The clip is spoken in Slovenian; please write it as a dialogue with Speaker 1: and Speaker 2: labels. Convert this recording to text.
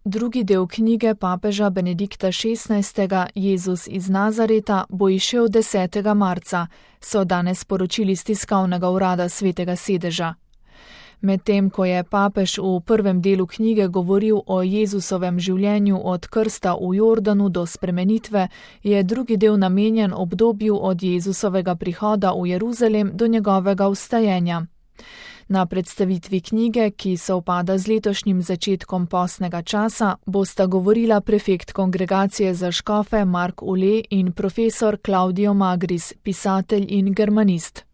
Speaker 1: Drugi del knjige papeža Benedikta XVI. Jezus iz Nazareta bo izšel 10. marca, so danes sporočili iz tiskovnega urada Svetega sedeža. Medtem ko je papež v prvem delu knjige govoril o Jezusovem življenju od krsta v Jordanu do spremenitve, je drugi del namenjen obdobju od Jezusovega prihoda v Jeruzalem do njegovega vstajenja. Na predstavitvi knjige, ki sovpada z letošnjim začetkom postnega časa, bosta govorila prefekt kongregacije za škofe Mark Ule in profesor Claudio Magris, pisatelj in germanist.